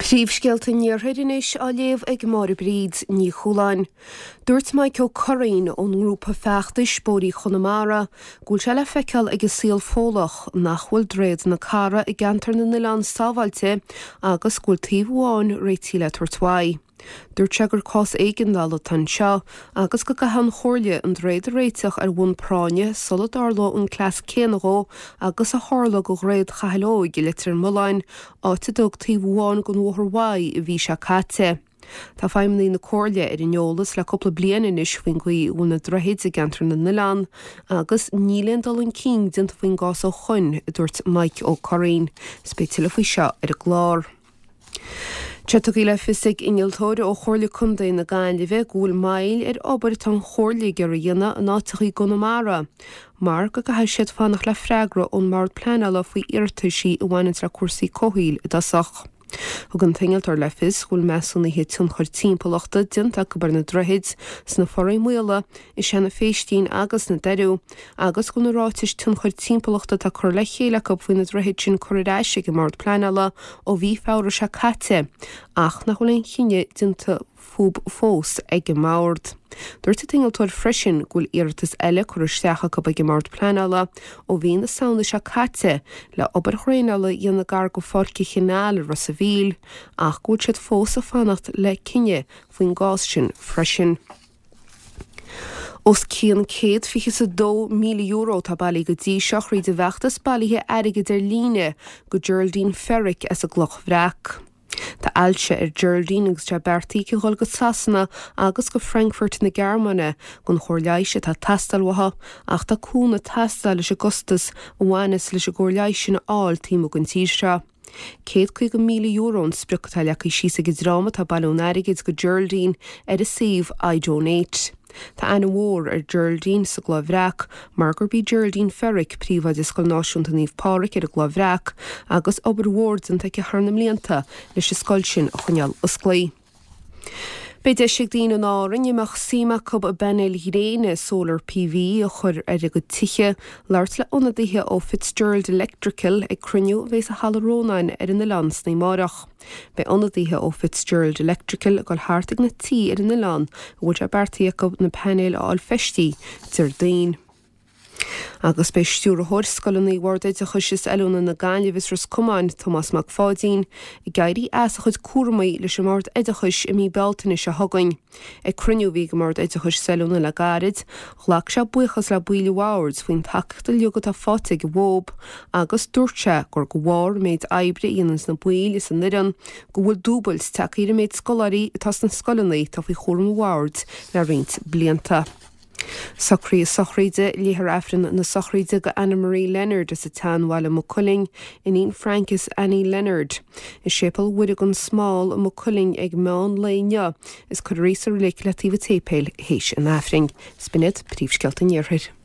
Príomhscéalta an Iarthair anois á léamh ag Máire Bríd Ní Chualáin. Dúirt Mike Ó Curraoin ón ngrúpa feachtais Bóithrí Chonamara go bhfuil sé le feiceáil ag an saol Fódhlach nach bhfuil Droichead na Cara i gceantar na nOileán sábháilte agus go bhfuil taobh amháin réitithe le tabhairt uaidh. Dúirt sé gur cás éigeandála atá anseo agus go gcaithfidh an Chomhairle an droichead a réiteach ar bhonn práinne sula dtarlóidh an cleas céanna dhó agus a tharla go Dhroichead Chathail Óig i Leitir Mealláin, áit a dódh taobh amháin den bhóthar uaidh an mhí seo caite. Tá feidhmeannaigh na Comhairle ar an eolas le cúpla bliain anois faoin gcaoi a bhfuil na droichid i gceantar na n-oileán agus níl aon dul chun cinn déanta faoin gcás ó shoin, a dúirt Mike Ó Curraoin. Is beidh tuilleadh faoi seo ar an gclár. Tá tugtha le fios ag innealtóir ó Chomhairle Contae na Gaillimhe go bhfuil moill ar obair atá an Chomhairle ag iarraidh a dhéanamh in áiteacha i gConamara mar go gcaithfidh siad fanacht le freagra ón mBord Pleanála faoi iarrataisí a bhaineanns le cúrsaí comhshaoil i dtosach. Thug an t-innealtóir le fios go bhfuil measúnuithe tionchair timpeallachta déanta acu ar na droichid sna Foraí Maola, i Seanadh Phéistín agus sna Doiriú, agus go bhfuil na ráitis tionchair timpeallachta atá curtha le chéile acu faoi na droichid sin curtha ar ais ag an mBord Pleanála ó mhí Feabhra seo caite ach nach bhfuil aon chinneadh déanta fúb fós ag an mBord. Dúirt an t-innealtóir freisin go bhfuil iarratas eile curtha isteach acu ag an mBord Pleanála ó mhí na Samhna seo caite le obair dhraenála a dhéanamh gar go Pháirc an Chanáil i Ros a' Mhíl ach go bhfuil siad fós ag fanacht le cinneadh faoin gcás sin freisin. Os cionn €122,000 atá bailithe go dtí seo thríd an bhfeachtas bailithe airgid ar líne go Geraldine Ferrick as an gCloch Bhreac. Tá ailse ar Geraldine agus tá beartaithe aici a dhul go Sasana agus go Frankfurt na Gearmáine don chóir leighis atá ag teastáil uaithi ach tá cúnamh ag teastáil leis an gcostas a bhaineas leis an gcóir leighis sin a fháil taobh amuigh den tír seo. €150,000 an sprioc atá leagtha síos ag an dream atá ag bailiú an airgid go Geraldine ar a suíomh iDonate. Tá aithne mhór ar Geraldine sa gCloich Bhreac mar gurb í Geraldine Ferrick príomhoide Scoil Náisiúnta Naomh Pádraig ar an gCloich Bhreac agus obair mhór déanta aici thar na mblianta leis an scoil sin a choinneáil osclaí. Beidh deis ag daoine in Árainn a mbeadh suim acu i bpainéil ghréine, solar PV, a chur ar a gcuid tithe, labhairt le ionadaithe ó Fitzgerald Electrical ag cruinniú a bheidh i Halla Rónáin ar an oileán san oíche amárach. Beidh ionadaithe ó Fitzgerald Electrical ag dul thart ag na tithe ar an oileán a bhfuil sé beartaithe acu na painéil a fháil feistithe Déardaoin. Agus beidh Stiúrthóir Scoileanna Bhord Oideachais is Oiliúna na Gaillimhe is Ros Comáin, Tomás Mac Pháidín, ag éirí as a chuid cúramaí leis an mBord Oideachais i mí Bealtaine seo chugainn. Ag cruinniú a bhí ag an mBord Oideachais is Oiliúna le gairid, ghlac sé buíochas le baill an bhoird faoin tacaíocht uilig atá faighte ag an BOOB agus dúirt sé gur de bharr an méid oibre a dhéananns na baill is an fhoireann go bhfuil dúbailt tagtha ar an méid scoláirí atá sna scoileanna atá faoi chúram an bhoird le roinnt blianta. Socruithe sochraide, Léifear Aifreann na sochraide do Anna Marie Leonard as an tSeanbhaile Maigh Cuilinn, iníon Frank is Annie Leonard, i Séipéal Mhuire gan Smál i Maigh Cuilinn ag meán lae inniu is cuirfear í sa reilig le taobh an tséipéil théis an Aifrinn. Is b'in iad príomhscéalta an Iarthair.